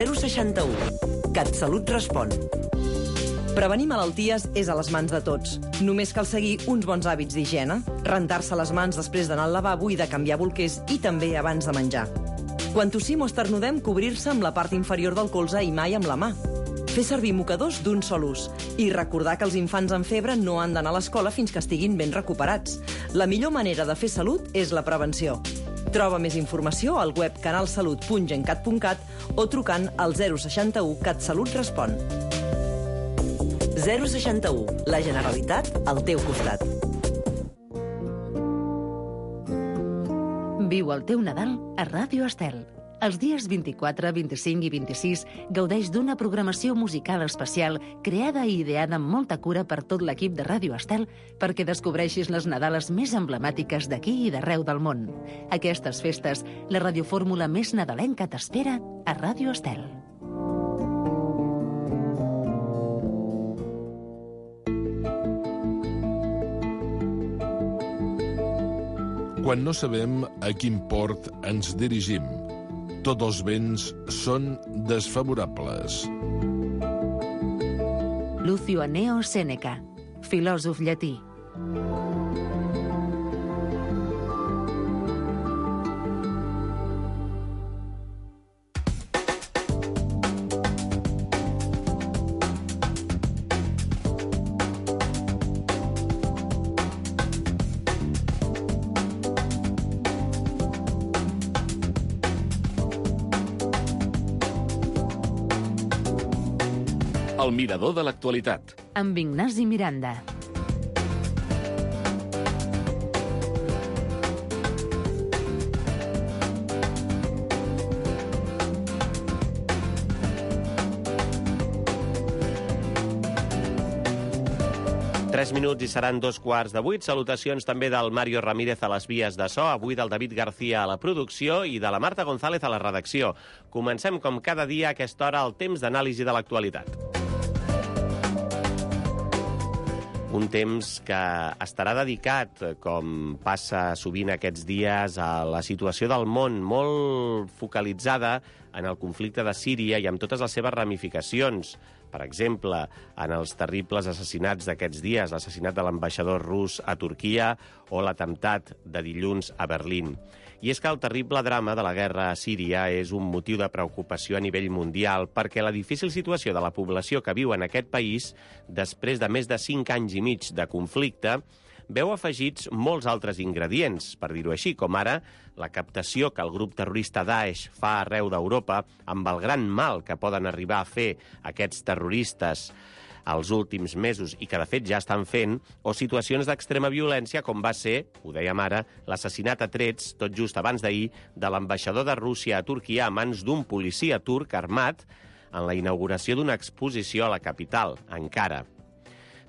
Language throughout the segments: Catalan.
061. CatSalut respon. Prevenir malalties és a les mans de tots. Només cal seguir uns bons hàbits d'higiene, rentar-se les mans després d'anar al lavabo i de canviar bolquers i també abans de menjar. Quan tossim o esternudem, cobrir-se amb la part inferior del colze i mai amb la mà. Fer servir mocadors d'un sol ús i recordar que els infants amb febre no han d'anar a l'escola fins que estiguin ben recuperats. La millor manera de fer salut és la prevenció. Troba més informació al web canalsalut.gencat.cat o trucant al 061 CatSalut respon. 061. La Generalitat al teu costat. Viu el teu Nadal a Ràdio Estel. Els dies 24, 25 i 26 gaudeix d'una programació musical especial creada i ideada amb molta cura per tot l'equip de Ràdio Estel perquè descobreixis les Nadales més emblemàtiques d'aquí i d'arreu del món. Aquestes festes, la radiofórmula més nadalenca t'espera a Ràdio Estel. Quan no sabem a quin port ens dirigim, tots els vents són desfavorables. Lucio Anneo Sèneca, filòsof llatí. El mirador de l'actualitat. Amb Ignasi Miranda. Tres minuts i seran 2:15. Salutacions també del Mario Ramírez a les vies de so, avui del David García a la producció i de la Marta González a la redacció. Comencem com cada dia a aquesta hora el temps d'anàlisi de l'actualitat. Un temps que estarà dedicat, com passa sovint aquests dies, a la situació del món, molt focalitzada en el conflicte de Síria i amb totes les seves ramificacions. Per exemple, en els terribles assassinats d'aquests dies, l'assassinat de l'ambaixador rus a Turquia o l'atemptat de dilluns a Berlín. I és que el terrible drama de la guerra a Síria és un motiu de preocupació a nivell mundial perquè la difícil situació de la població que viu en aquest país, després de més de 5 anys i mig de conflicte, veu afegits molts altres ingredients, per dir-ho així, com ara la captació que el grup terrorista Daesh fa arreu d'Europa amb el gran mal que poden arribar a fer aquests terroristes els últims mesos i que, de fet, ja estan fent, o situacions d'extrema violència, com va ser, ho dèiem ara, l'assassinat a trets, tot just abans d'ahir, de l'ambaixador de Rússia a Turquia a mans d'un policia turc armat en la inauguració d'una exposició a la capital, Ankara.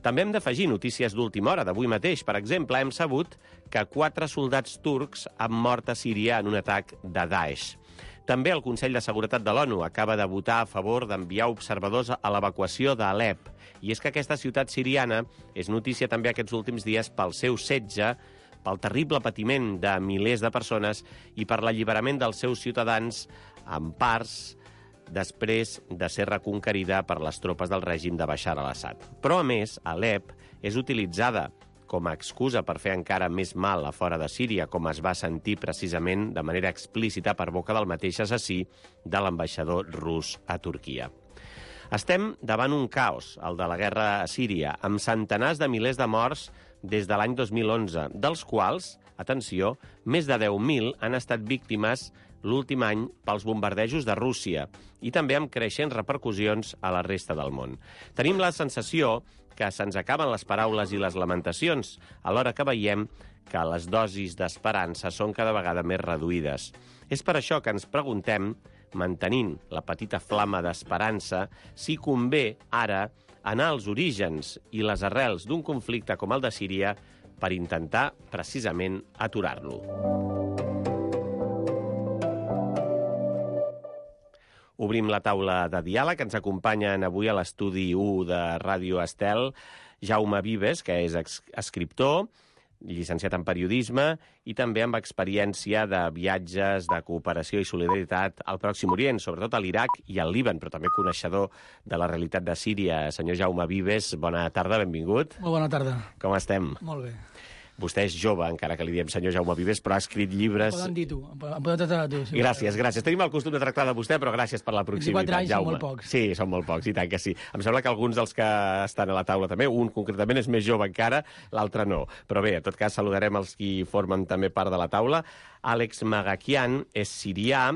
També hem d'afegir notícies d'última hora, d'avui mateix. Per exemple, hem sabut que 4 soldats turcs han mort a Síria en un atac de Daesh. També el Consell de Seguretat de l'ONU acaba de votar a favor d'enviar observadors a l'evacuació d'Alep. I és que aquesta ciutat siriana és notícia també aquests últims dies pel seu setge, pel terrible patiment de milers de persones i per l'alliberament dels seus ciutadans en parts després de ser reconquerida per les tropes del règim de Bashar al-Assad. Però, a més, Alep és utilitzada com a excusa per fer encara més mal a fora de Síria, com es va sentir precisament de manera explícita per boca del mateix assassí de l'ambaixador rus a Turquia. Estem davant un caos, el de la guerra a Síria, amb centenars de milers de morts des de l'any 2011, dels quals, atenció, més de 10.000 han estat víctimes l'últim any pels bombardejos de Rússia i també amb creixents repercussions a la resta del món. Tenim la sensació que se'ns acaben les paraules i les lamentacions, alhora que veiem que les dosis d'esperança són cada vegada més reduïdes. És per això que ens preguntem, mantenint la petita flama d'esperança, si convé ara anar als orígens i les arrels d'un conflicte com el de Síria per intentar precisament aturar-lo. Obrim la taula de diàleg. Ens acompanyen avui a l'estudi 1 de Ràdio Estel Jaume Vives, que és escriptor, llicenciat en periodisme i també amb experiència de viatges, de cooperació i solidaritat al Pròxim Orient, sobretot a l'Iraq i al Líban, però també coneixedor de la realitat de Síria. Senyor Jaume Vives, bona tarda, benvingut. Molt bona tarda. Com estem? Molt bé. Vostè és jove, encara que li diem senyor Jaume Vives, però ha escrit llibres... Em poden dir tu, em poden tractar de tu. Sí, gràcies. Tenim el costum de tractar de vostè, però gràcies per la proximitat, 24 anys Jaume. són molt pocs. Sí, són molt pocs, i tant que sí. Em sembla que alguns dels que estan a la taula també, un concretament és més jove encara, l'altre no. Però bé, en tot cas, saludarem els qui formen també part de la taula. Àlex Magakian és sirià,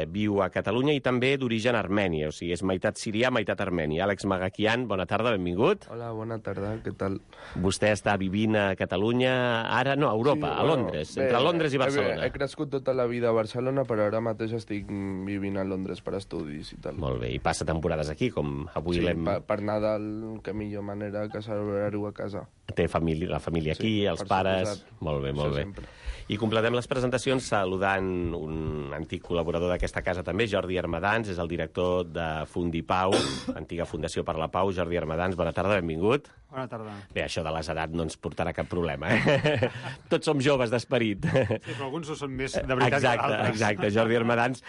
viu a Catalunya i també d'origen armeni, o sigui, és meitat sirià, meitat armeni. Àlex Magakian, bona tarda, benvingut. Hola, bona tarda, què tal? Vostè està vivint a Catalunya, ara no, a Europa, a Londres, entre Londres i Barcelona. He crescut tota la vida a Barcelona, però ara mateix estic vivint a Londres per estudis i tal. Molt bé, i passa temporades aquí, com avui l'hem... Sí, per Nadal, que millor manera que celebrar-ho a casa. Té la família aquí, els pares... Molt bé, molt bé. Sempre. I completem les presentacions saludant un antic col·laborador d'aquesta casa també, Jordi Armadans, és el director de Fundipau, antiga Fundació per la Pau. Jordi Armadans, bona tarda, benvingut. Bona tarda. Bé, això de les edats no ens portarà cap problema, Tots som joves d'esperit. Sí, però alguns ho són més de veritat que altres. Exacte. Jordi Armadans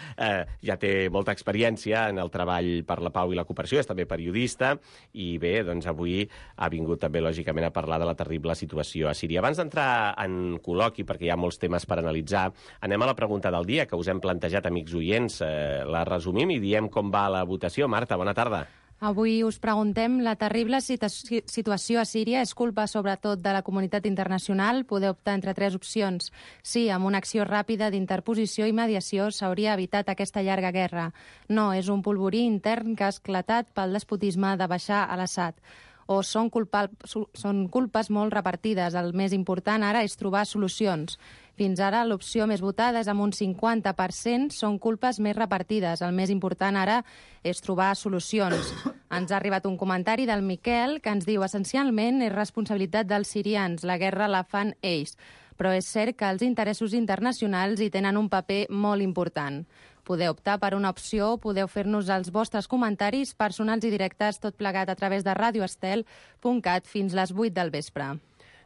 ja té molta experiència en el treball per la pau i la cooperació, és també periodista, i bé, doncs avui ha vingut també, lògicament, a parlar de la terrible situació a Síria. Abans d'entrar en col·loqui, perquè hi ha molts temes per analitzar, anem a la pregunta del dia, que us hem plantejat, amics oients. La resumim i diem com va la votació. Marta, bona tarda. Avui us preguntem, la terrible situació a Síria és culpa sobretot de la comunitat internacional? Podeu optar entre 3 opcions. Sí, amb una acció ràpida d'interposició i mediació s'hauria evitat aquesta llarga guerra. No, és un polvorí intern que ha esclatat pel despotisme de Bashar al-Assad. O són culpes molt repartides. El més important ara és trobar solucions. Fins ara l'opció més votada és amb un 50%, són culpes més repartides. El més important ara és trobar solucions. Ens ha arribat un comentari del Miquel que ens diu essencialment és responsabilitat dels sirians, la guerra la fan ells. Però és cert que els interessos internacionals hi tenen un paper molt important. Podeu optar per una opció, podeu fer-nos els vostres comentaris personals i directes, tot plegat a través de radioestel.cat fins les 8 del vespre.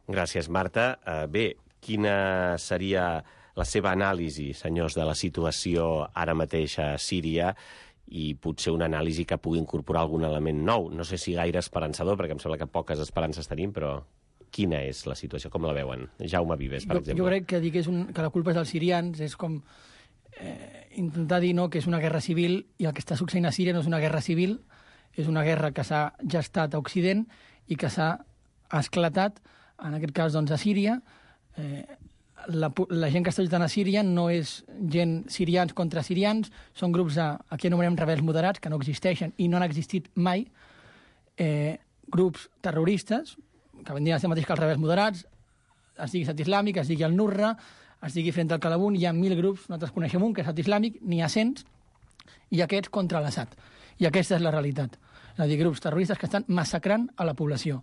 Gràcies, Marta. Bé, quina seria la seva anàlisi, senyors, de la situació ara mateix a Síria i potser una anàlisi que pugui incorporar algun element nou? No sé si gaire esperançador, perquè em sembla que poques esperances tenim, però quina és la situació? Com la veuen? Jaume Vives, per exemple. Jo crec que dir que la culpa és dels sirians és com intentar dir que és una guerra civil, i el que està succeint a Síria no és una guerra civil, és una guerra que s'ha gestat a Occident i que s'ha esclatat, en aquest cas, doncs, a Síria. La gent que està lluitant a Síria no és gent sirians contra sirians, són grups aquí anomenem rebels moderats, que no existeixen i no han existit mai, grups terroristes, que vendrien a ser mateix que els rebels moderats, es digui Estat Islàmic, es digui el Nusra, es digui Front al Calabún, hi ha 1.000 grups, nosaltres coneixem un, que és Estat Islàmic, n'hi ha 100, i aquests contra l'Assad. I aquesta és la realitat. És a dir, grups terroristes que estan massacrant a la població.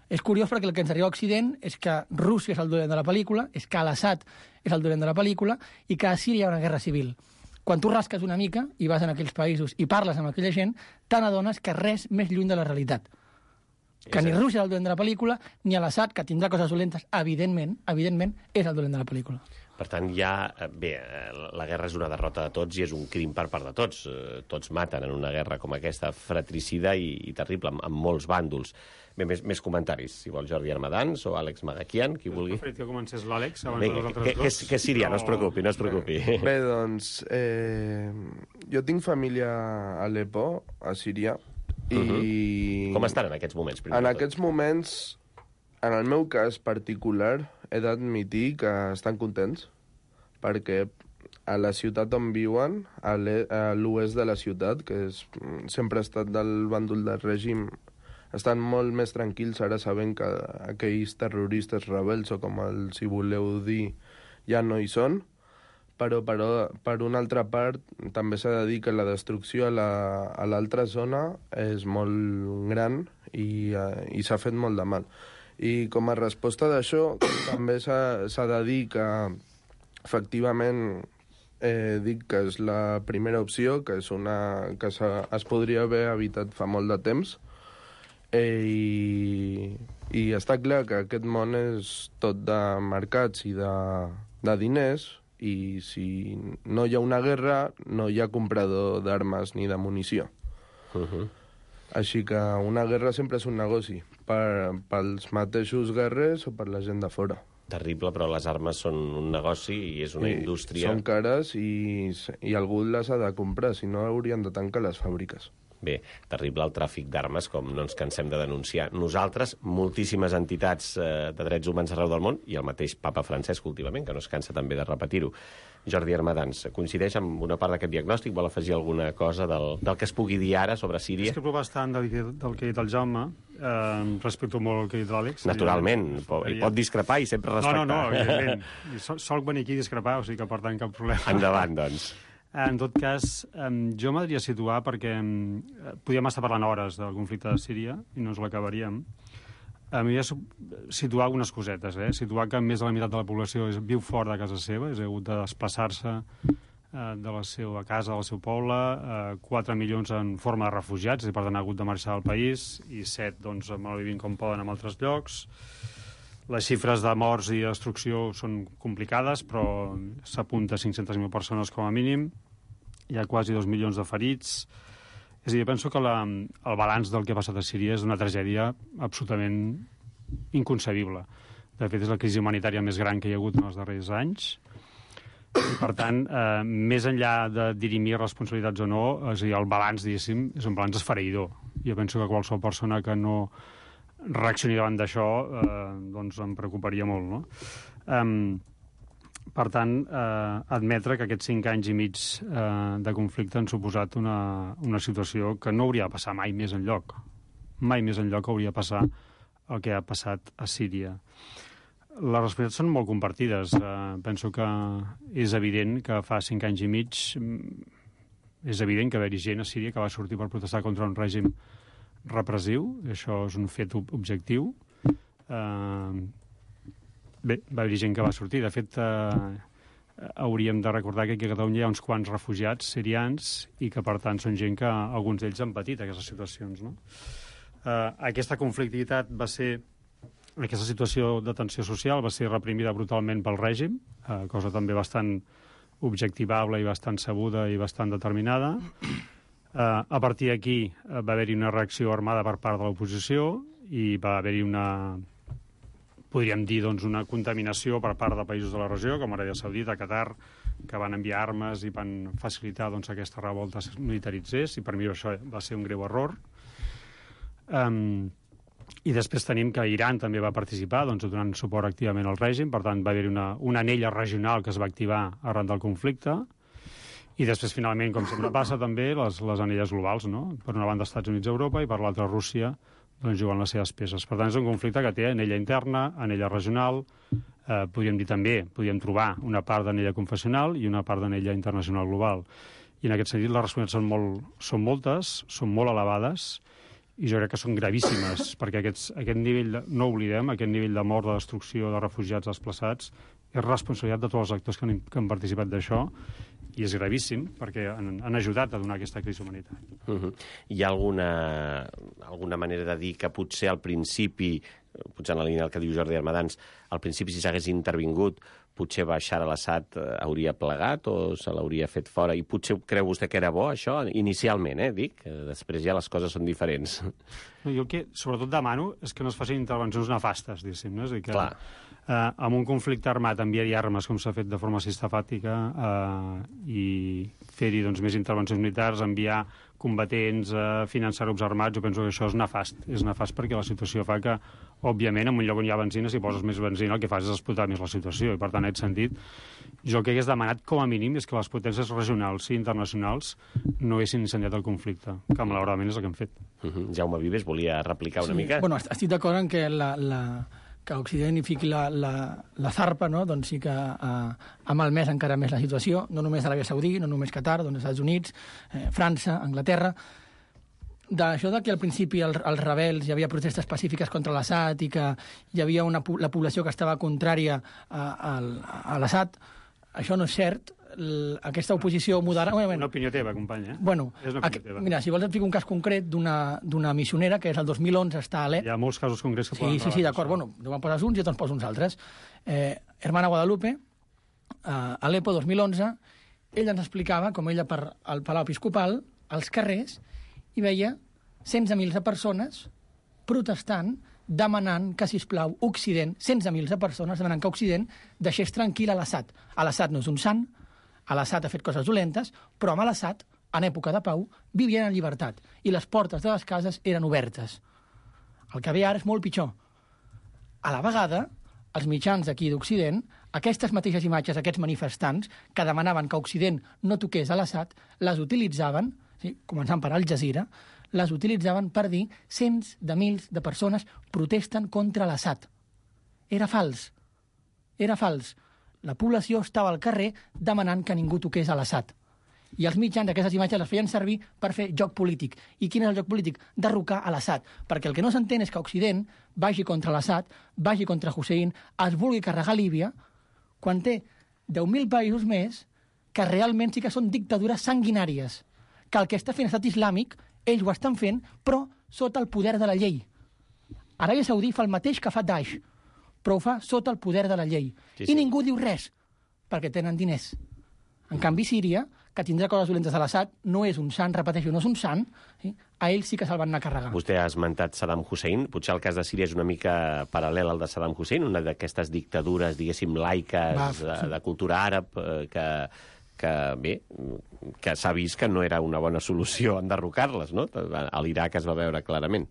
És curiós perquè el que ens arriba a Occident és que Rússia és el dolent de la pel·lícula, és que l'Assad és el dolent de la pel·lícula i que a Síria hi ha una guerra civil. Quan tu rasques una mica i vas en aquells països i parles amb aquella gent, te n'adones que res més lluny de la realitat. Que ni Rússia és el dolent de la pel·lícula, ni l'Assad, que tindrà coses dolentes, evidentment, és el dolent de la pel·lícula. Per tant, la guerra és una derrota de tots i és un crim per part de tots. Tots maten en una guerra com aquesta, fratricida i terrible, amb molts bàndols. Bé, més comentaris, si vol Jordi Armadans o Àlex Magakian, qui vulgui. He preferit que comencés l'Àlex abans de nosaltres dos. Que és sirià, no es preocupi. Bé, doncs, jo tinc família a Aleppo, a Síria, i... Com estan en aquests moments? En aquests moments, en el meu cas particular, he d'admitir que estan contents, perquè a la ciutat on viuen, a l'oest de la ciutat, que sempre ha estat del bàndol del règim, estan molt més tranquils ara sabent que aquells terroristes rebels, o com els hi voleu dir, ja no hi són. Però per una altra part també s'ha de dir que la destrucció a l'altra zona és molt gran i s'ha fet molt de mal. I com a resposta d'això també s'ha de dir que efectivament dic que és la primera opció, que és es podria haver evitat fa molt de temps, i I està clar que aquest món és tot de mercats i de diners, i si no hi ha una guerra, no hi ha comprador d'armes ni de munició. Així que una guerra sempre és un negoci, pels mateixos guerrers o per la gent de fora. Terrible, però les armes són un negoci i és una indústria. Són cares i algú les ha de comprar, si no haurien de tancar les fàbriques. Bé, terrible el tràfic d'armes, com no ens cansem de denunciar. Nosaltres, moltíssimes entitats de drets humans arreu del món, i el mateix papa Francesc últimament, que no es cansa també de repetir-ho. Jordi Armadans, coincideix amb una part d'aquest diagnòstic? Vol afegir alguna cosa del que es pugui dir ara sobre Síria? Discrepo bastant del que ha dit el Jaume, respecto molt el que ha dit l'Àlex. Naturalment, pot discrepar i sempre respectar. No, evidentment. Solc venir aquí a discrepar, o sigui que per tant cap problema. Endavant, doncs. En tot cas, jo m'hauria de situar perquè podríem estar parlant hores del conflicte de Síria i no ens l'acabaríem. M'hauria de situar algunes cosetes, situar que més de la meitat de la població viu fora de casa seva, és hagut de desplaçar-se de la seva casa, del seu poble, 4 milions en forma de refugiats, i per tant ha hagut de marxar del país, i 7, doncs, malvivint com poden en altres llocs. Les xifres de morts i destrucció són complicades, però s'apunta a 500.000 persones com a mínim. Hi ha quasi 2 milions de ferits. És a dir, jo penso que el balanç del que ha passat a Síria és una tragèdia absolutament inconcebible. De fet, és la crisi humanitària més gran que hi ha hagut en els darrers anys. I, per tant, més enllà de dirimir responsabilitats o no, és a dir, el balanç, diguéssim, és un balanç esfereïdor. Jo penso que qualsevol persona que no reaccioni davant d'això, doncs em preocuparia molt, no? Per tant, admetre que aquests 5 anys i mig de conflicte han suposat una situació que no hauria de passar mai més enlloc. Mai més enlloc hauria de passar el que ha passat a Síria. Les responsabilitats són molt compartides. Penso que és evident que fa 5 anys i mig és evident que va haver-hi gent a Síria que va sortir per protestar contra un règim repressiu, això és un fet objectiu. Bé, va haver-hi gent que va sortir. De fet, hauríem de recordar que aquí a Catalunya hi ha uns quants refugiats sirians i que, per tant, són gent que alguns d'ells han patit aquestes situacions, no? Aquesta conflictivitat va ser... Aquesta situació de tensió social va ser reprimida brutalment pel règim, cosa també bastant objectivable i bastant sabuda i bastant determinada. A partir d'aquí va haver-hi una reacció armada per part de l'oposició i va haver-hi podríem dir, doncs, una contaminació per part de països de la regió, com Aràbia Saudita, Qatar, que van enviar armes i van facilitar, doncs, aquesta revolta es militaritzés, i per mi això va ser un greu error. I després tenim que Iran també va participar, doncs, donant suport activament al règim, per tant va haver-hi una anella regional que es va activar arran del conflicte, i després, finalment, com sempre passa, també les anelles globals, no? Per una banda, Estats Units i Europa, i per l'altra, Rússia, doncs, jugant les seves peces. Per tant, és un conflicte que té anella interna, anella regional, podríem dir també, podríem trobar una part d'anella confessional i una part d'anella internacional global. I en aquest sentit, les responsabilitats són moltes, són molt elevades, i jo crec que són gravíssimes, perquè aquest nivell, no oblidem, aquest nivell de mort, de destrucció, de refugiats desplaçats, és responsabilitat de tots els actors que han participat d'això, i és gravíssim, perquè han ajudat a donar aquesta crisi humanitària. Hi ha alguna manera de dir que potser al principi, potser en la línia del que diu Jordi Armadans, al principi si s'hagués intervingut, potser Bashar al-Assad hauria plegat o se l'hauria fet fora, i potser creu vostè que era bo això, inicialment, dic, després ja les coses són diferents. Jo el que sobretot demano és que no es facin intervencions nefastes, diguéssim, no? És a dir, que amb un conflicte armat enviar-hi armes, com s'ha fet de forma sistemàtica, i fer-hi, doncs, més intervencions militars, enviar combatents, finançar grups armats, jo penso que això és nefast. És nefast perquè la situació fa que, òbviament, en un lloc on hi ha benzina, si poses més benzina, el que fas és explotar més la situació, i per tant, en aquest sentit, jo el que hagués demanat com a mínim és que les potències regionals i internacionals no haguessin incendiat el conflicte, que malauradament és el que han fet. Jaume Vives volia replicar una mica. Bueno, estic d'acord en que que Occident hi fiqui la zarpa, no? Doncs sí que ha malmès encara més la situació, no només Aràbia Saudí, no només Qatar, doncs Estats Units, França, Anglaterra. D'això que al principi els rebels hi havia protestes pacífiques contra l'Assad i que hi havia la població que estava contrària a l'Assad, això no és cert. aquesta oposició moderada... Una opinió teva, company, Bueno, és una opinió teva. mira, si vols et fico un cas concret d'una missionera, que és el 2011, està a Alep. Hi ha molts casos concrets que poden... Sí, d'acord. Bueno, tu me'n poses uns i jo te'n poso uns altres. Hermana Guadalupe, a Alepo, 2011, ella ens explicava com ella per al Palau Episcopal, als carrers, hi veia cents de mils de persones protestant, demanant que, sisplau, Occident, cents de mils de persones demanant que Occident deixés tranquil a l'Assad. L'Assad no és un sant, l'Assad ha fet coses dolentes, però amb l'Assad, en època de pau, vivien en llibertat i les portes de les cases eren obertes. El que ve ara és molt pitjor. A la vegada, els mitjans d'aquí d'Occident, aquestes mateixes imatges d'aquests manifestants que demanaven que Occident no toqués a l'Assad, les utilitzaven, començant per Al Jazeera, les utilitzaven per dir cents de mils de persones protesten contra l'Assad. Era fals. Era fals. La població estava al carrer demanant que ningú toqués a l'Assad. I els mitjans d'aquestes imatges les feien servir per fer joc polític. I quin és el joc polític? Derrocar a l'Assad. Perquè el que no s'entén és que Occident vagi contra l'Assad, vagi contra Hussein, es vulgui carregar Líbia, quan té 10.000 països més que realment sí que són dictadures sanguinàries. Que el que està fent Estat Islàmic, ells ho estan fent, però sota el poder de la llei. Aràbia Saudí fa el mateix que fa Daesh, però ho fa sota el poder de la llei. I ningú diu res, perquè tenen diners. En canvi, Síria, que tindrà coses dolentes a l'Assad, no és un sant, repeteixo, no és un sant, a ell sí que se'l van anar a carregar. Vostè ha esmentat Saddam Hussein. Potser el cas de Síria és una mica paral·lel al de Saddam Hussein, una d'aquestes dictadures, diguéssim, laiques, de cultura àrab, que s'ha vist que no era una bona solució enderrocar-les, no? A l'Iraq es va veure clarament.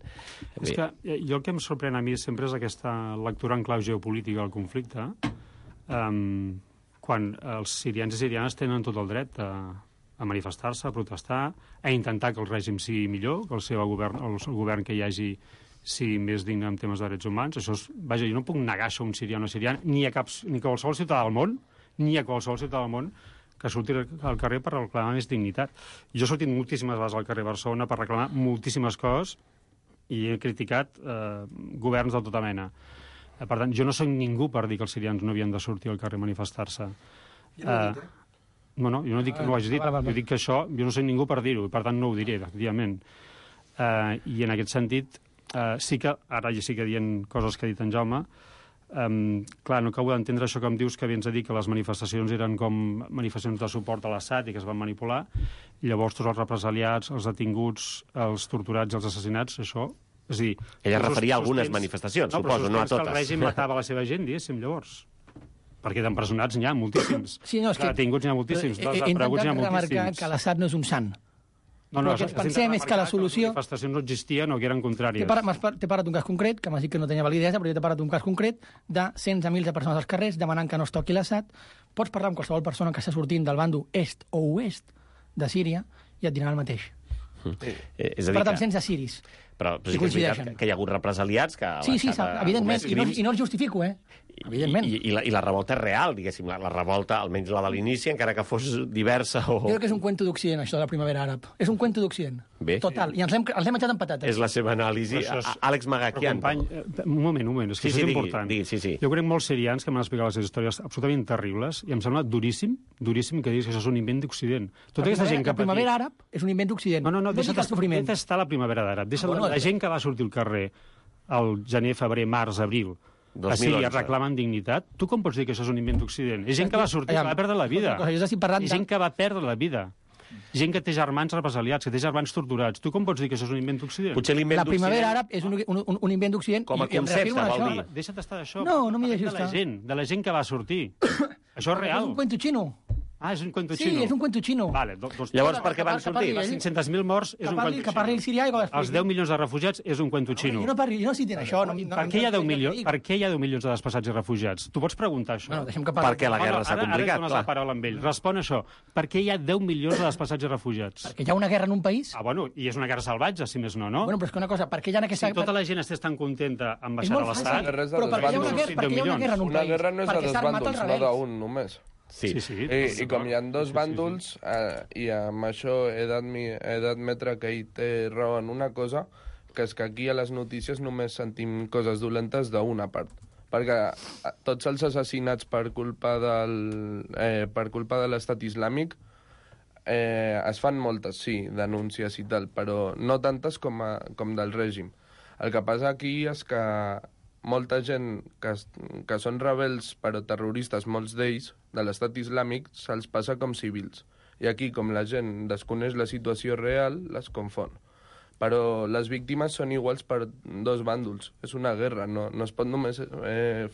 És que jo el que em sorprèn a mi sempre és aquesta lectura en clau geopolítica del conflicte, quan els sirians i sirianes tenen tot el dret a manifestar-se, a protestar, a intentar que el règim sigui millor, que el govern que hi hagi sigui més digne en temes de drets humans. Això és, vaja, jo no puc negar això a un sirià o una siriana, ni a qualsevol ciutadà del món, que surti al carrer per reclamar més dignitat. Jo he sortit moltíssimes vegades al carrer Barcelona per reclamar moltíssimes coses i he criticat governs de tota mena. Per tant, jo no soc ningú per dir que els sirians no havien de sortir al carrer a manifestar-se. No, jo no dic que no ho hagi dit. Jo dic que això, jo no soc ningú per dir-ho, i per tant no ho diré, efectivament. I en aquest sentit, sí que, ara ja sí que dient coses que ha dit en Jaume, clar, no acabo d'entendre això que em dius, que vens a dir que les manifestacions eren com manifestacions de suport a l'Assad i que es van manipular, i llavors tots els represaliats, els detinguts, els torturats i els assassinats, això... És a dir... Ella referia a algunes manifestacions, suposo, no a totes. Que el règim matava la seva gent, diguéssim, llavors. Perquè d'empresonats n'hi ha moltíssims. Sí, no, és que... Detinguts n'hi ha moltíssims, he intentat remarcar que l'Assad no és un sant. No, el que ens pensem és que la solució... Les manifestacions no existien o que eren contràries. T'he parat un cas concret, que m'has dit que no tenia validesa, però jo t'he parat un cas concret de cents de mils de persones als carrers demanant que no es toqui l'Assad. Pots parlar amb qualsevol persona que està sortint del bàndol est o oest de Síria i et diran el mateix. És a dir, per tant, sense siris. Però sí que és veritat que hi ha hagut represaliats que... Sí, evidentment, i no els justifico, evidentment. I la revolta és real, diguéssim, la revolta, almenys la de l'inici, encara que fos diversa o... Jo crec que és un cuento d'Occident, això de la primavera àrab. És un cuento d'Occident. Total, i ens l'hem menjat amb patates. És la seva anàlisi. Àlex Magaquian. Un moment, és que això és important. Jo crec molts sirians que m'han explicat les històries absolutament terribles i em sembla duríssim que diguis que això és un invent d'Occident. Tota aquesta gent que la primavera àrab és un invent d'Occident. No, deixa't estar la primavera d'àrab. La gent que va sortir al carrer al gener, febrer, març, abril, a Síria reclamen dignitat, tu com pots dir que això és un invent d'Occident? És gent que va sortir, que va perdre la vida. És gent que va perdre la vida. Gent que té germans represaliats, que té germans torturats. Tu com pots dir que això és un invent d'Occident? La primavera àrab és un invent d'Occident. Com a concepte, vol dir. Deixa't estar d'això. No m'hi deixis estar. De la gent que va sortir. Això és real. És un cuento xino. Ah, és un cuento xino. Sí, és un cuento xino. Vale, llavors, per què van sortir? Les 500.000 morts és un cuento xino. Que parli el sirià i que els 10 milions de refugiats és un cuento xino. Jo no citin això. Per què hi ha 10 milions de desplaçats i refugiats? Tu pots preguntar això? Perquè la guerra s'ha complicat, Ara dones la paraula amb ell. Respon això. Per què hi ha 10 milions de desplaçats i refugiats? Perquè hi ha una guerra en un país. I és una guerra salvatge, si més no, no? Bueno, però és que una cosa, per què hi ha aquesta... Si tota la gent estigués tan contenta amb baixar a l'Estat... Però per què hi ha una guerra en un país? Una guerra no és de dos bàndols, no d'un només. Sí. I com hi ha dos bàndols, i amb això he d'admetre que ell té raó en una cosa, que és que aquí a les notícies només sentim coses dolentes d'una part. perquè tots els assassinats per culpa de l'estat islàmic es fan moltes, sí, denúncies i tal, però no tantes com del règim. El que passa aquí és que molta gent que són rebels però terroristes, molts d'ells, de l'estat islàmic, se'ls passa com civils. I aquí, com la gent desconeix la situació real, les confon. Però les víctimes són iguals per dos bàndols. És una guerra, no es pot només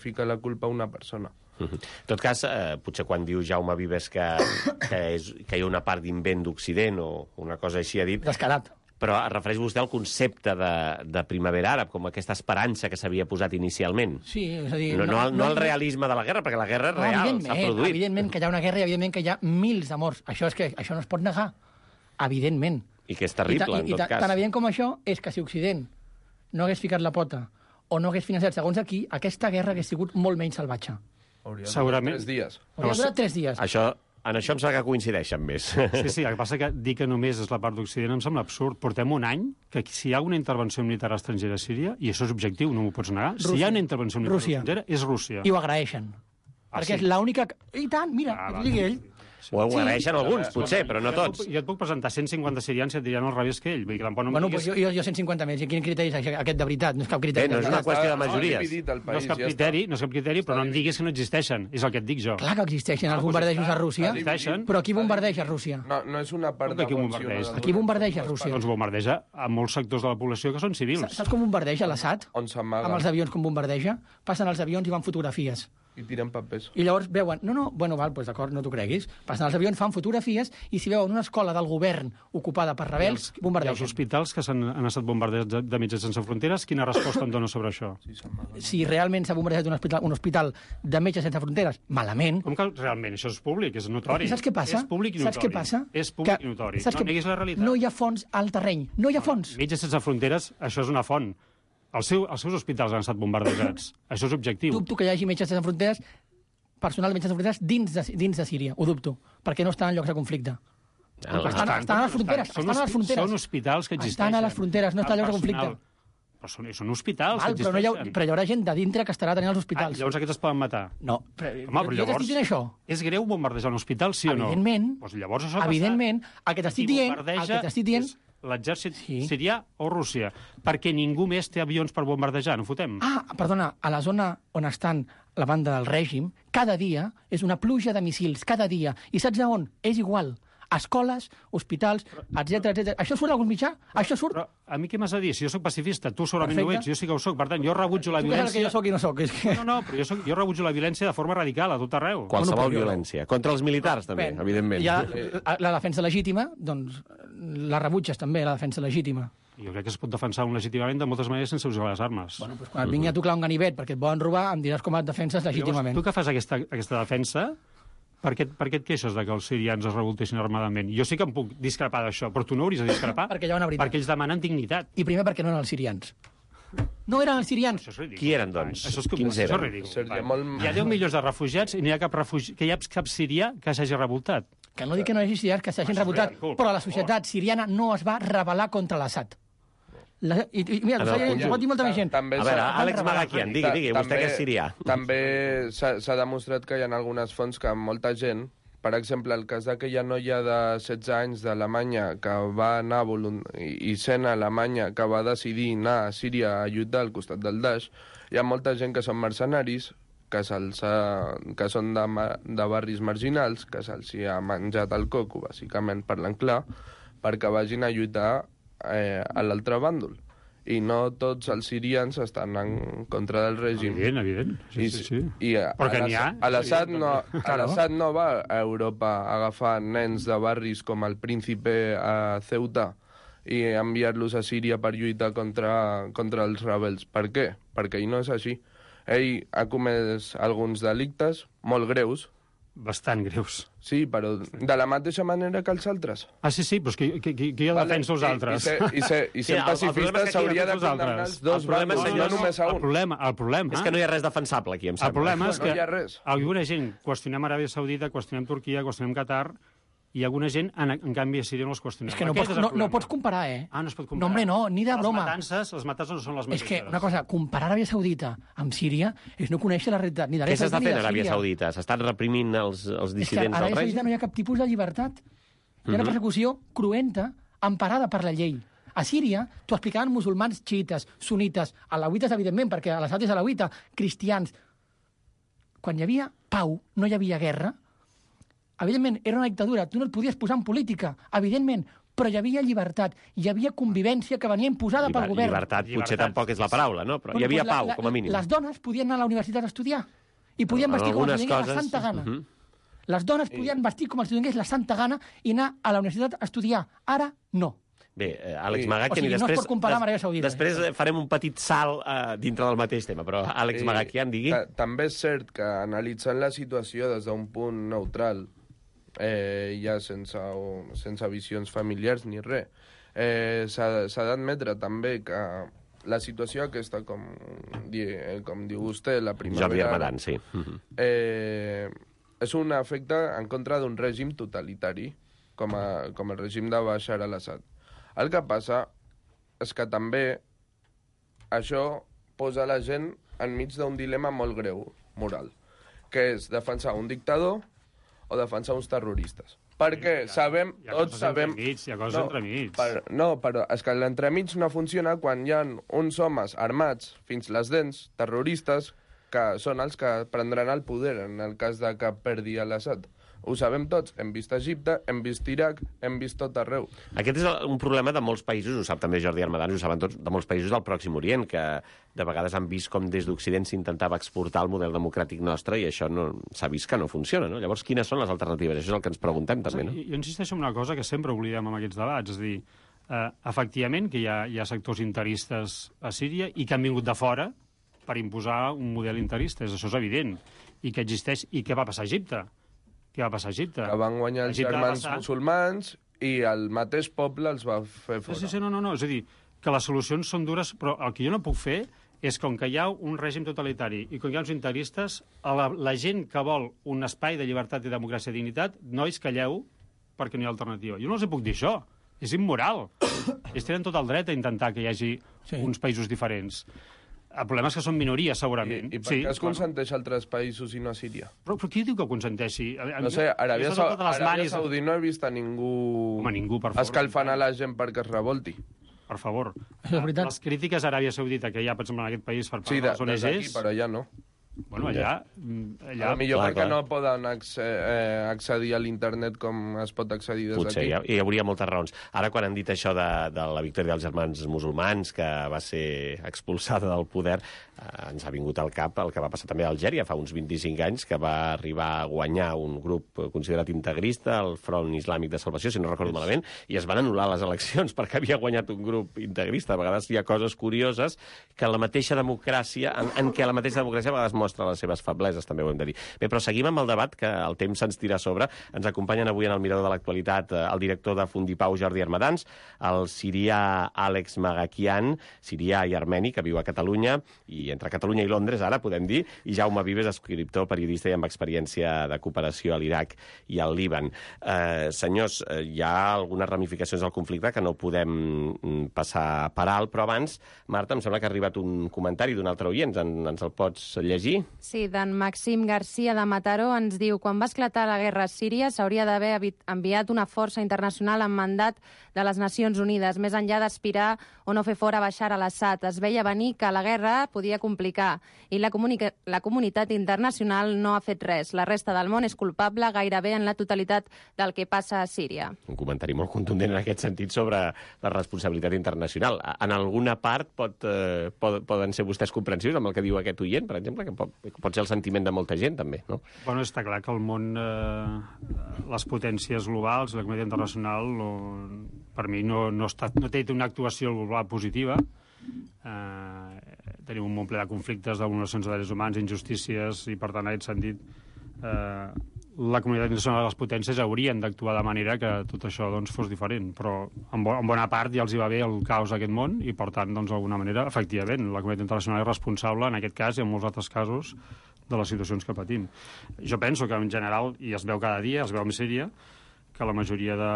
ficar la culpa a una persona. En tot cas, potser quan diu Jaume Vives que hi ha una part d'invent d'Occident o una cosa així ha dit... Descarat. Però es refereix vostè al concepte de primavera àrab, com aquesta esperança que s'havia posat inicialment. Sí, és a dir... No al realisme de la guerra, perquè la guerra és real, s'ha produït. Evidentment que hi ha una guerra i evidentment que hi ha mils de morts. Això no es pot negar, evidentment. I que és terrible, en tot cas. Tan evident com això és que si Occident no hagués ficat la pota o no hagués financiat segons aquí, aquesta guerra hagués sigut molt menys salvatge. Segurament. 3 dies. Hauria durat 3 dies. En això em sembla que coincideixen més. Sí, el que passa que dir que només és la part d'Occident em sembla absurd. Portem un any que si hi ha una intervenció militar estrangera a Síria, i això és objectiu, no m'ho pots negar, si hi ha una intervenció militar estrangera, és Rússia. I ho agraeixen. Perquè és l'única... I tant, mira, ho digui ell. Ho agraeixen alguns, potser, però no tots. Jo et puc presentar 150 sirians i et diran al revés que ell. Vull dir que tampoc no bueno, pues jo 150 més. I quin criteri és aquest de veritat? No és cap criteri. No és una qüestió de majories. No és cap criteri, però no em diguis que no existeixen. És el que et dic jo. Clar que existeixen els bombardejos a Rússia. Però qui bombardeja a Rússia? No és una part de A qui bombardeja a Rússia? Doncs bombardeja a molts sectors de la població que són civils. Saps com bombardeja l'Assad? On s'amaga. Amb els avions com bombardeja? Passen els avions i fan fotografies. I tiren papers. I llavors veuen, d'acord, no t'ho creguis, passen els avions, fan fotografies, i si veuen una escola del govern ocupada per rebels, bombardegen. I els hospitals que han estat bombardejats de Metges Sense Fronteres, quina resposta em dona sobre això? Si realment s'ha bombardejat un hospital de Metges Sense Fronteres, malament... Com que realment? Això és públic, és notori. Saps què passa? És públic i notori. Saps què passa? És públic i notori. No neguis la realitat. No hi ha fons al terreny, no hi ha fons. Metges Sense Fronteres, això és una font. Els seus hospitals han estat bombardejats. Això és objectiu. Dubto que hi hagi Metges Sense Fronteres, personal de Metges Sense Fronteres dins de Síria, ho dubto, perquè no estan en llocs de conflicte. Estan a les fronteres, Són hospitals que existeixen. Estan a les fronteres, no estan en llocs de conflicte. Però són hospitals que existeixen. Però hi haurà gent de dintre que estarà tenint els hospitals. Llavors aquests es poden matar? No, però jo t'estic dient això. És greu bombardejar un hospital, sí o no? Evidentment. Doncs llavors això evidentment, el que t'estic dient... L'exèrcit sirià o Rússia, perquè ningú més té avions per bombardejar, no fotem? Perdona, a la zona on estan la banda del règim, cada dia és una pluja de missils, cada dia. I saps a on? És igual. Escoles, hospitals, etc. Això surt a algun mitjà? Això surt? Però a mi què m'has de dir? Si jo soc pacifista, tu segurament no ho ets, jo sí que ho soc. Per tant, jo rebutjo la violència... Tu que jo soc i no soc. No, però jo rebutjo la violència de forma radical a tot arreu. Qualsevol violència. Contra els militars, també, evidentment. La defensa legítima, doncs, la rebutges també, la defensa legítima. Jo crec que es pot defensar legítimament de moltes maneres sense usar les armes. Bueno, doncs quan et vingui a tocar un ganivet perquè et volen robar, em diràs com et defenses legítimament. Llavors, tu que fas aquesta defensa, per què et queixes de que els sirians es revoltessin armadament? Jo sí que em puc discrepar d'això, però tu no hauries de discrepar. Perquè hi ha una veritat. Perquè ells demanen dignitat. I primer perquè no eren els sirians. No eren els sirians. Qui eren, doncs? Quins eren? Hi ha 10 milions de refugiats i no hi ha cap sirià que s'hagi revoltat. Que no dic que no hi hagi sirians que s'hagin revoltat, però la societat siriana no es va rebel·lar contra l'Assad. Mira, ho pot dir molta més gent. A veure, Àlex Magakian, digui, vostè que és sirià. També s'ha demostrat que hi ha algunes fonts que molta gent, per exemple, el cas d'aquella noia de 16 anys d'Alemanya que va anar i sent a Alemanya que va decidir anar a Síria a lluitar al costat del Daesh, hi ha molta gent que són mercenaris, que són de barris marginals, que se'ls ha menjat el coco, bàsicament parlant clar, perquè vagin a lluitar a l'altre bàndol. I no tots els sirians estan en contra del règim. Evident. Sí. Però que n'hi ha. L'Assad no va a Europa a agafar nens de barris com el Príncipe a Ceuta i enviar-los a Síria per lluitar contra els rebels. Per què? Perquè ell no és així. Ell ha comès alguns delictes molt greus. Bastant greus. Sí, però de la mateixa manera que els altres. Sí, però és que qui ha defensa els altres? I ser pacifista s'hauria de condemnar els dos bàndols, no només a un. El problema és que no hi ha res defensable aquí, em sembla. El problema és que alguna gent qüestionem Aràbia Saudita, qüestionem Turquia, qüestionem Qatar, i alguna gent, en canvi, a Síria no els qüestionem. És que no pots comparar, No es pot comparar. No, hombre, no, ni de broma. Les matances no són les mateixes. És que, una cosa, comparar Aràbia Saudita amb Síria és no conèixer la realitat ni d'Aràbia Saudita ni de Síria. Què s'està fent a Aràbia Saudita? S'estan reprimint els dissidents del règim? És que a Aràbia Saudita no hi ha cap tipus de llibertat. Hi ha una persecució cruenta, emparada per la llei. A Síria t'ho explicaven musulmans xiites, sunites, alauites, evidentment, perquè l'Assad és alauita, cristians. Quan hi havia pau, no hi havia guerra. Evidentment, era una dictadura, tu no et podies posar en política, evidentment, però hi havia llibertat, hi havia convivència que venia imposada pel govern. Llibertat potser tampoc és la paraula, no? Però hi havia pau, com a mínim. Les dones podien anar a la universitat a estudiar i podien vestir com els donés la santa gana. Les dones podien vestir com els donés la santa gana i anar a la universitat a estudiar. Ara, no. Bé, Àlex Magakian, no es pot comparar amb Aràbia Saudita. Després farem un petit salt dintre del mateix tema, però Àlex Magakian, digui. També és cert que analitzant la situació des d'un punt neutral, ja sense visions familiars ni res, s'ha d'admetre també que la situació aquesta, com diu vostè, la primavera... Jordi Armadan, sí. És un efecte en contra d'un règim totalitari, com el règim de Bashar al-Assad. El que passa és que també això posa la gent enmig d'un dilema molt greu, moral, que és defensar un dictador o defensar uns terroristes. Perquè tots sabem... Hi ha coses entremig. No, però és que l'entremig no funciona quan hi ha uns homes armats fins les dents, terroristes, que són els que prendran el poder en el cas de que perdi l'Assad. Ho sabem tots, hem vist Egipte, hem vist Iraq, hem vist tot arreu. Aquest és un problema de molts països, ho sap també Jordi Armadan, ho saben tots, de molts països del Pròxim Orient, que de vegades han vist com des d'Occident s'intentava exportar el model democràtic nostre i això s'ha vist que no funciona, no? Llavors, quines són les alternatives? Això és el que ens preguntem, també, no? Jo insisteixo en una cosa que sempre oblidem en aquests debats, és a dir, efectivament que hi ha sectors interistes a Síria i que han vingut de fora per imposar un model interista, això és evident, i que existeix. I què va passar a Egipte? Què va passar a Egipte? Que van guanyar els germans musulmans i el mateix poble els va fer fora. Sí, no. És a dir, que les solucions són dures, però el que jo no puc fer és com que hi ha un règim totalitari i com hi ha uns interistes, la gent que vol un espai de llibertat i democràcia i dignitat, nois, calleu, perquè no hi ha alternativa. Jo no els puc dir això. És immoral. Ells tenen tot el dret a intentar que hi hagi uns països diferents. El problema és que són minories, segurament. I per què es consenteix a altres països i no a Síria? Però qui diu que ho consenteixi? No sé, Aràbia Saudí no he vist a ningú... Home, ningú, per favor. Escalfant a la gent perquè es revolti. Per favor. És veritat. Les crítiques a Aràbia Saudita que hi ha, per exemple, en aquest país per part de les ONGs... Sí, d'aquí, però allà no. Bueno, allà... Millor perquè no poden accedir a l'internet com es pot accedir des d'aquí. Potser, hi hauria moltes raons. Ara, quan han dit això de la victòria dels germans musulmans, que va ser expulsada del poder, ens ha vingut al cap el que va passar també a Algèria fa uns 25 anys, que va arribar a guanyar un grup considerat integrista, el Front Islàmic de Salvació, si no recordo malament, i es van anul·lar les eleccions perquè havia guanyat un grup integrista. A vegades hi ha coses curioses que la mateixa democràcia, en què la mateixa democràcia a vegades mostra les seves febleses, també ho hem de dir. Bé, però seguim amb el debat, que el temps se'ns tira a sobre. Ens acompanyen avui en el Mirador de l'Actualitat el director de Fundipau, Jordi Armadans, el sirià Àlex Magakian, sirià i armeni, que viu a Catalunya, i entre Catalunya i Londres, ara podem dir, i Jaume Vives, escriptor, periodista i amb experiència de cooperació a l'Iraq i al Líban. Senyors, hi ha algunes ramificacions del conflicte que no podem passar per alt, però abans, Marta, em sembla que ha arribat un comentari d'un altre oient. Ens el pots llegir? Sí, d'en Maxim Garcia de Mataró ens diu: quan va esclatar la guerra a Síria s'hauria d'haver enviat una força internacional amb mandat de les Nacions Unides, més enllà d'aspirar o no fer fora Bashar al-Assad. Es veia venir que la guerra podia complicar i la comunitat internacional no ha fet res. La resta del món és culpable gairebé en la totalitat del que passa a Síria. Un comentari molt contundent en aquest sentit sobre la responsabilitat internacional. En alguna part poden ser vostès comprensius amb el que diu aquest oient, per exemple, que pot ser el sentiment de molta gent, també, no? Bueno, està clar que el món, les potències globals, la comunitat internacional, per mi no té una actuació global positiva. Tenim un món ple de conflictes, de vulneracions de drets humans, injustícies, i per tant, en aquest sentit, la comunitat internacional de les potències haurien d'actuar de manera que tot això fos diferent, però en bona part ja els hi va bé el caos d'aquest món i per tant, d'alguna manera, efectivament, la comunitat internacional és responsable en aquest cas i en molts altres casos de les situacions que patim. Jo penso que en general, i es veu cada dia, es veu amb Síria, que la majoria de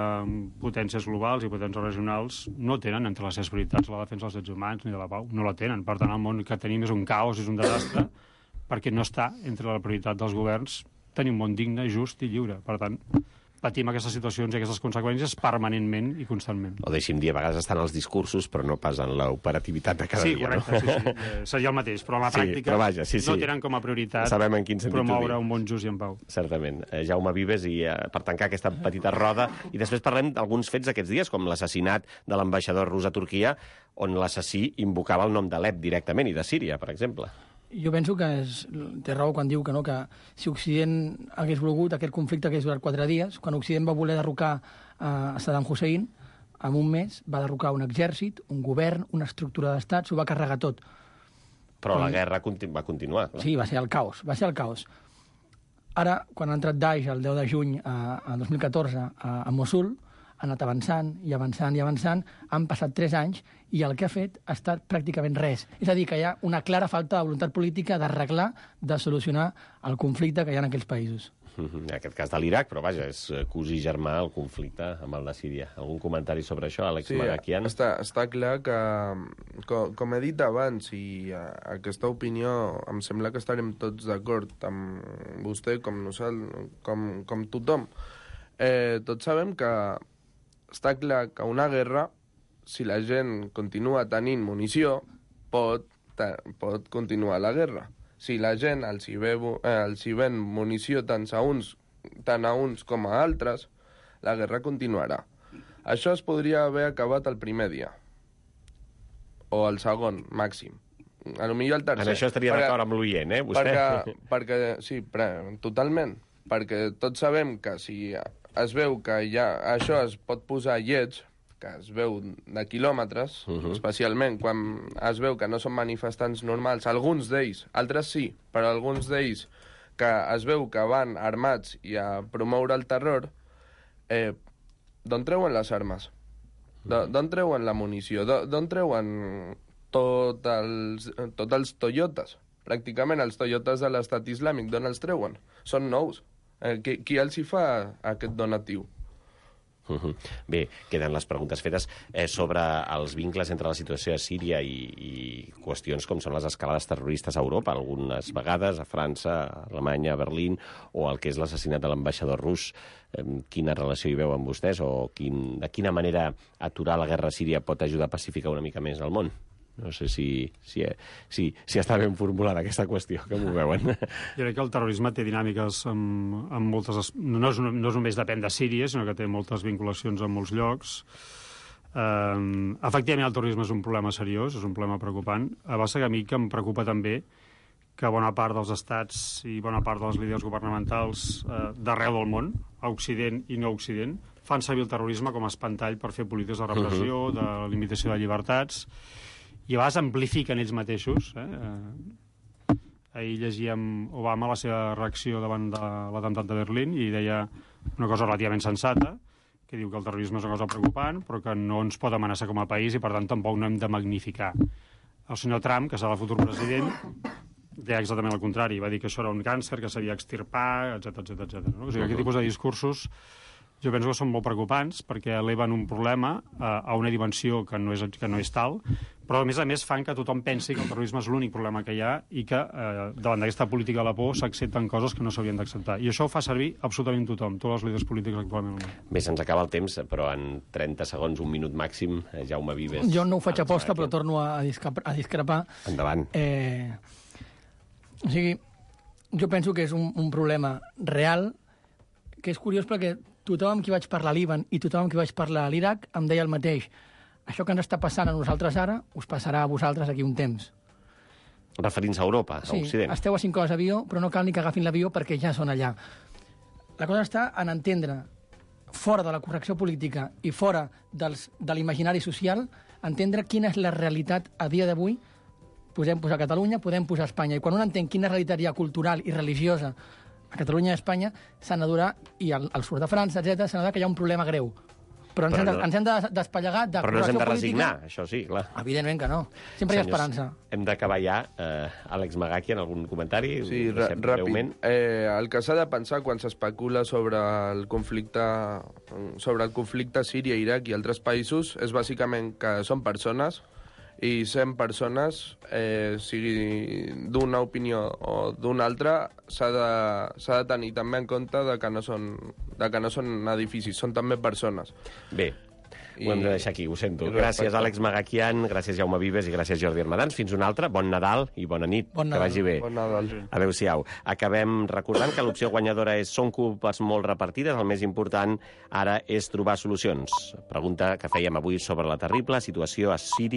potències globals i potències regionals no tenen entre les seves prioritats la defensa dels drets humans ni de la pau. No la tenen. Per tant, el món que tenim és un caos, és un desastre, perquè no està entre la prioritat dels governs tenir un món digne, just i lliure. Per tant, patim aquestes situacions i aquestes conseqüències permanentment i constantment. O deixi'm dir, a vegades estan els discursos, però no pas en l'operativitat de cada dia. Correcte, no? sí. Seria el mateix, però a la pràctica no tenen com a prioritat promoure un món just i en pau. Certament. Jaume Vives, i per tancar aquesta petita roda, i després parlem d'alguns fets d'aquests dies, com l'assassinat de l'ambaixador rus a Turquia, on l'assassí invocava el nom d'Alep directament, i de Síria, per exemple. Jo penso que té raó quan diu que si Occident hagués volgut, aquest conflicte hagués durat 4 dies, quan Occident va voler derrocar a Saddam Hussein, en un mes va derrocar un exèrcit, un govern, una estructura d'estat, s'ho va carregar tot. Però la guerra va continuar. Clar. Sí, va ser el caos. Ara, quan ha entrat Daesh el 10 de juny a 2014 a Mosul, ha anat avançant i avançant i avançant, han passat 3 anys i el que ha fet ha estat pràcticament res. És a dir, que hi ha una clara falta de voluntat política d'arreglar, de solucionar el conflicte que hi ha en aquells països. En aquest cas de l'Iraq, però vaja, és cosí germà el conflicte amb el de Síria. Algun comentari sobre això, Àlex Marakian? Està clar que, com he dit abans, i aquesta opinió em sembla que estarem tots d'acord amb vostè, com nosaltres, com tothom. Tots sabem que està clar que una guerra, si la gent continua tenint munició, pot continuar la guerra. Si la gent els hi ven munició tant a uns com a altres, la guerra continuarà. Això es podria haver acabat el primer dia. O el segon, màxim. A lo millor el tercer. En això estaria d'acord amb l'oient, vostè? Sí, totalment. Perquè tots sabem que si es veu que això es pot posar lleig, que es veu de quilòmetres, especialment quan es veu que no són manifestants normals, alguns d'ells, altres sí, però alguns d'ells que es veu que van armats i a promoure el terror, d'on treuen les armes? D'on treuen la munició? D'on treuen tots els Toyotas? Pràcticament els Toyotas de l'estat islàmic, d'on els treuen? Són nous. Qui els hi fa aquest donatiu? Bé, queden les preguntes fetes sobre els vincles entre la situació a Síria i qüestions com són les escalades terroristes a Europa, algunes vegades a França, a Alemanya, a Berlín, o el que és l'assassinat de l'ambaixador rus. Quina relació hi veuen vostès, o de quina manera aturar la guerra a Síria pot ajudar a pacificar una mica més el món? No sé si està ben formulada aquesta qüestió, com ho veuen? Jo crec que el terrorisme té dinàmiques amb moltes... No només depèn de Síria, sinó que té moltes vinculacions en molts llocs. Efectivament, el terrorisme és un problema seriós, és un problema preocupant. A base que a mi que em preocupa també que bona part dels estats i bona part dels líders governamentals d'arreu del món, a Occident i no Occident, fan servir el terrorisme com a espantall per fer polítiques de repressió, de limitació de llibertats, i a vegades amplifiquen ells mateixos. Ahir llegíem Obama la seva reacció davant de l'atemptat de Berlín i deia una cosa relativament sensata, que diu que el terrorisme és una cosa preocupant, però que no ens pot amenaçar com a país i, per tant, tampoc no hem de magnificar. El senyor Trump, que serà el futur president, deia exactament el contrari. Va dir que això era un càncer, que s'havia d'extirpar, etc. No? O sigui, aquest tipus de discursos jo penso que són molt preocupants perquè eleven un problema a una dimensió que no és tal, però a més fan que tothom pensi que el terrorisme és l'únic problema que hi ha i que davant d'aquesta política de la por s'accepten coses que no s'haurien d'acceptar. I això ho fa servir absolutament tothom, tots els líders polítics actualment al món. Bé, se'ns acaba el temps, però en 30 segons, un minut màxim, Jaume Vives. Jo no ho faig aposta, però torno a discrepar. Endavant. O sigui, jo penso que és un problema real, que és curiós perquè tothom amb qui vaig parlar a Líban i tothom amb qui vaig parlar a l'Iraq em deia el mateix. Això que ens està passant a nosaltres ara, us passarà a vosaltres aquí un temps. Referint-se a Europa, a Occident. Sí, esteu a 5 hores d'avió, però no cal ni que agafin l'avió perquè ja són allà. La cosa està en entendre, fora de la correcció política i fora de l'imaginari social, entendre quina és la realitat a dia d'avui. Podem posar Catalunya, podem posar Espanya. I quan un entén quina realitat hi ha cultural i religiosa a Catalunya i a Espanya, s'ha d'adonar, i al sud de França, etc., s'ha d'adonar que hi ha un problema greu. Però ens hem de despallegar de Però no ens hem de correcció resignar, política. això sí, clar. Evidentment que no. Sempre hi ha esperança. Hem d'acabar ja. Àlex Magaki, en algun comentari? Sí, Deixem ràpid. breument. El que s'ha de pensar quan s'especula sobre el conflicte Síria-Iraq i altres països és bàsicament que són persones i 100 persones, sigui d'una opinió o d'una altra, s'ha de tenir també en compte de que no són edificis, són també persones. Bé, ho hem de deixar aquí, ho sento. Gràcies, Àlex Magakian, gràcies, Jaume Vives, i gràcies, Jordi Armadans. Fins una altra. Bon Nadal i bona nit. Bon Nadal. Que vagi bé. Bon Nadal. Adéu-siau. Acabem recordant que l'opció guanyadora és són culpes molt repartides. El més important ara és trobar solucions. Pregunta que fèiem avui sobre la terrible situació a Síria